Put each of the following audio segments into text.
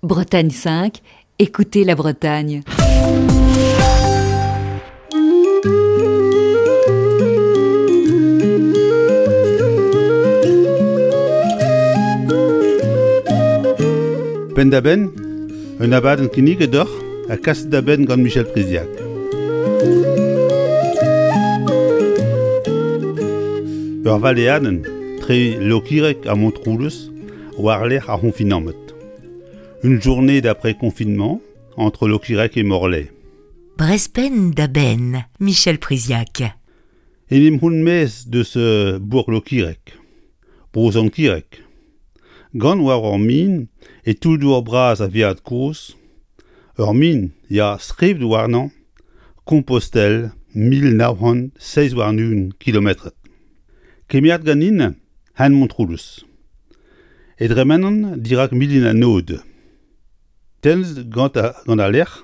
Bretagne 5, écoutez la Bretagne. Penn-da-benn, un abadenn kinniget deoc'h ha kaset da benn gant Michel Priziac. Ur valeadenn tre Lokireg ha Montroulez war-lerc'h ar c'honfinamant. Une journée d'après confinement entre Lokireg et Morlaix. Brespenn da benn, Michel Priziac. En em c'houn maez deus bourg Lokireg, bro Sant-Kireg. Gant war ur min e toull-dour bras a-viad kozh, ur min, ya, skrivet warnañ Compostelle 1927 kilometred. Kemeret ganin hent Montroulez. E dremenan dirak milin an Aod. Tennet gant al lec'h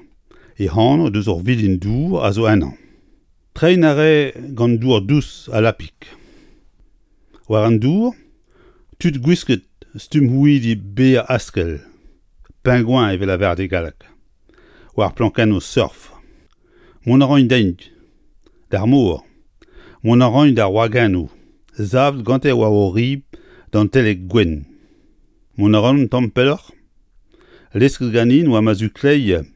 e anv deus ur vilin-dour a zo ennañ. Treiñ a rae gant dour dous ha lapig. War an dour, tud gwisket stumm houidi berr askell, pingouin evel lavaret e galleg, war plankennoù surf. Mont a raint dezhi d'ar mor, mont a raint d'ar wagennoù savet gante war o ribl dantelek gwenn. Mont a ran un tamm pelloc'h, lesket ganin war ma zu kleiz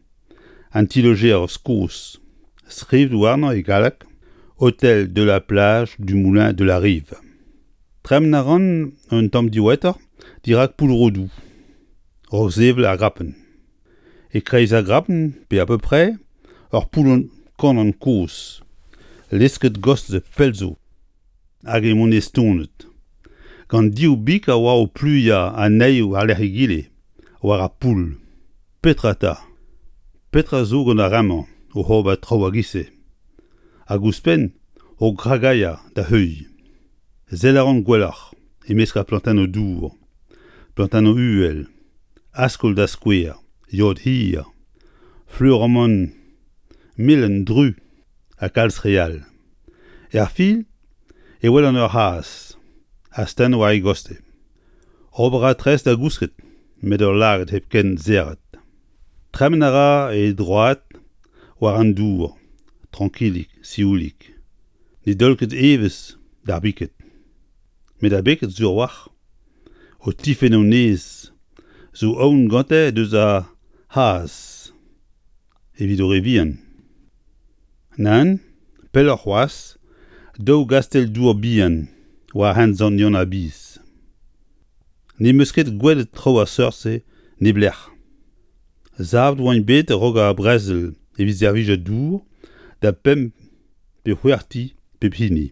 an ti-lojer kozh, skrivet warnañ e galleg Hôtel de la plage du Moulin de la Rive. Tremen a ran un tamm diwezhatoc'h dirak Poull-Rodoù, raok sevel ar grapenn. E-kreiz ar grapenn, pe apeupre, ur poullon kanon kozh, lesket gostez pell zo, hag emaon estonet, gant div big a oa o pluiañ anezhi war-lerc'h egile, war ar poull. Petra 'ta? Petra zo gant ar re-mañ oc'h ober traoù a-giz-se? Hag ouzhpenn o gragailhañ da heuilh. Sell a ran gwelloc'h e-mesk ar plantennoù dour, plantennoù uhel, askol da skouer, yod hir, fleur amann melen dru ha kalz re all. Er fin e welan ur c'hazh astenn war e gostez. Ober a ra tres da gousket met ul lagad hepken serret. Tremen a ra e droad war an dour, trankilik, sioulik. Ne daol ket evezh d'ar biked. Met ar biked sur a-walc'h, o tifenn o neizh, zo aon gante deus ar c'hazh evit o re vihan. Nann, pelloc'h c'hoazh, daou gastell-dour bihan war hent Sant-Yann-ar-Biz. N'em eus ket gwelet traoù a seurt-se neblec'h. Savet oant bet a-raok ar brezel evit servijañ dour da pemp pe c'hwec'h ti pep hini.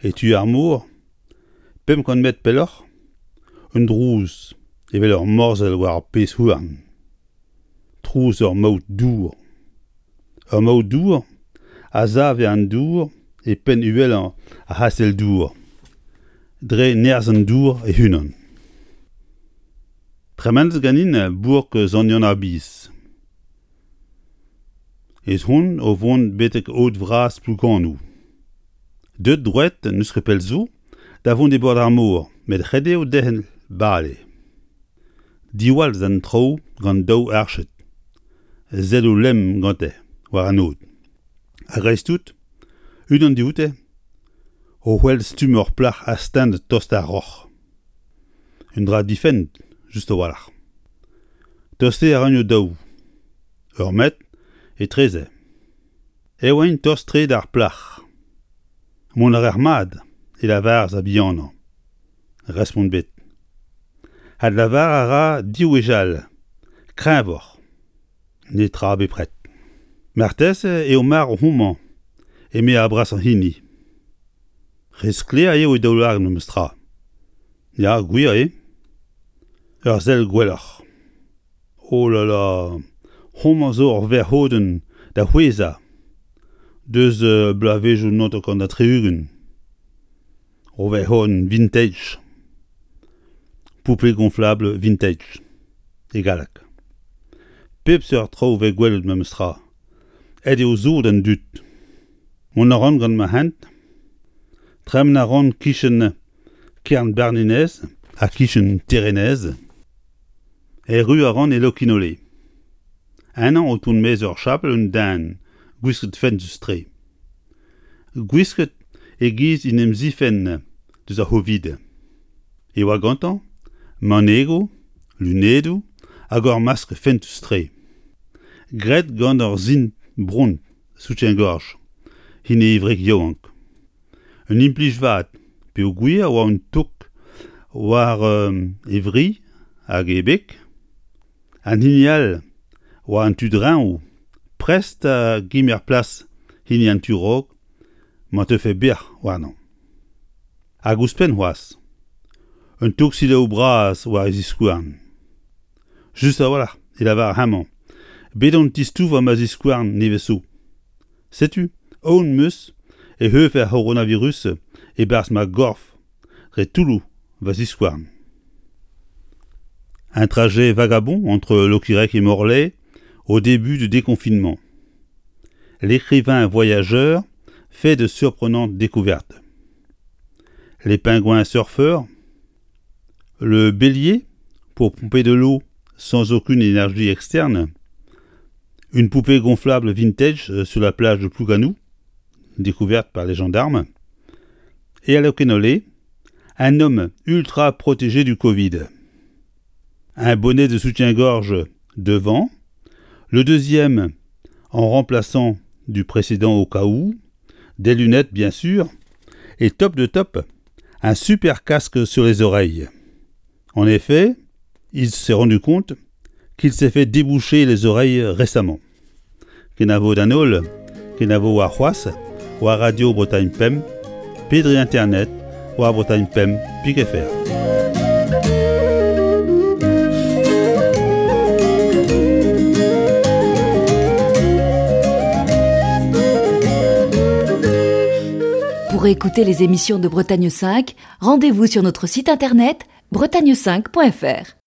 E tu ar mor, 500 metr pelloc'h, un drouz evel ur morzhell war ur pezh houarn. Trouz ur maout dour. Ur maout dour a save an dour e penn uhelañ ar c'hastell-dour, dre nerzh an dour e-unan. Tremenet ganin bourk Sant-Yann-ar-Biz. Ez on o vont betek aod vras Plouganoù. Deuet droed n'eus ket pell zo da vont e bord ar mor met ret eo derc'hel bale. Diwall d'an traoù gant daou arched, selloù lemm gante war an aod. A-greiz-tout, unan dioute o c'hwel stumm ur plac'h astennet tost d'ar roc'h. Un dra difennet just a-walc'h. Tostañ a raint o-daou. Ur metr etreze. E oaint tost-tre d'ar plac'h. Mont a raec'h mat, e lavaras ar bihanañ. Respont bet. Adlavar a ra div wech all, kreñvoc'h. Netra bepred. Marteze eo marv homañ, eme ar brasañ hini. Re sklaer eo e daoulagad memes tra. Ya, gwir eo. Ur sell gwelloc'h. Oh là là, homañ zo ur verc'hodenn da c'hwezhañ deus bloavezhioù 79. Ur verc'hodenn vintage. Poupée gonflable vintage e galleg. Pep seurt traoù 'vez gwelet memes tra. Aet eo sod an dud. Mont a ran gant ma hent. Tremen a ran 'kichen Kernbarnenez ha 'kichen Terenez. Erru a ran e Lokinole. Ennañ o tont maez ur chapel un den gwisket fentus-tre. Gwisket e-giz en em zifenn deus ar c'hovid. E oa gantañ manegoù, lunedoù hag ur maskl fentus-tre. Graet gant ur sin bront soutien-gorge hini e wreg yaouank. Un implij vat peogwir e oa un tok war e vri hag e beg. An hini all war an tu dreñv prest da gemer plas hini an tu raok ma teufe bec'h warnañ. Hag ouzhpenn c'hoazh, un tog selaou bras war e ziskouarn. Just a-walc'h e lavar hemañ, bet on tistouvañ ma ziskouarn nevez zo. Setu aon 'm eus e heufe ar c'horonavirus e-barzh ma gorf dre toulloù va ziskouarn. Un trajet vagabond entre Locquirec et Morlaix au début du déconfinement. L'écrivain voyageur fait de surprenantes découvertes. Les pingouins surfeurs, le bélier pour pomper de l'eau sans aucune énergie externe, une poupée gonflable vintage sur la plage de Plouganou, découverte par les gendarmes, et à Locquénolé, un homme ultra protégé du Covid. Un bonnet de soutien-gorge devant, le deuxième en remplaçant du précédent au cas où, des lunettes bien sûr, et top de top, un super casque sur les oreilles. En effet, il s'est rendu compte qu'il s'est fait déboucher les oreilles récemment. Kenavo d'an holl, kenavo warc'hoazh, war Radio Bretagne Pemp, pe dre internet war Bretagne Pemp pik fr. Pour écouter les émissions de Bretagne 5, rendez-vous sur notre site internet bretagne5.fr.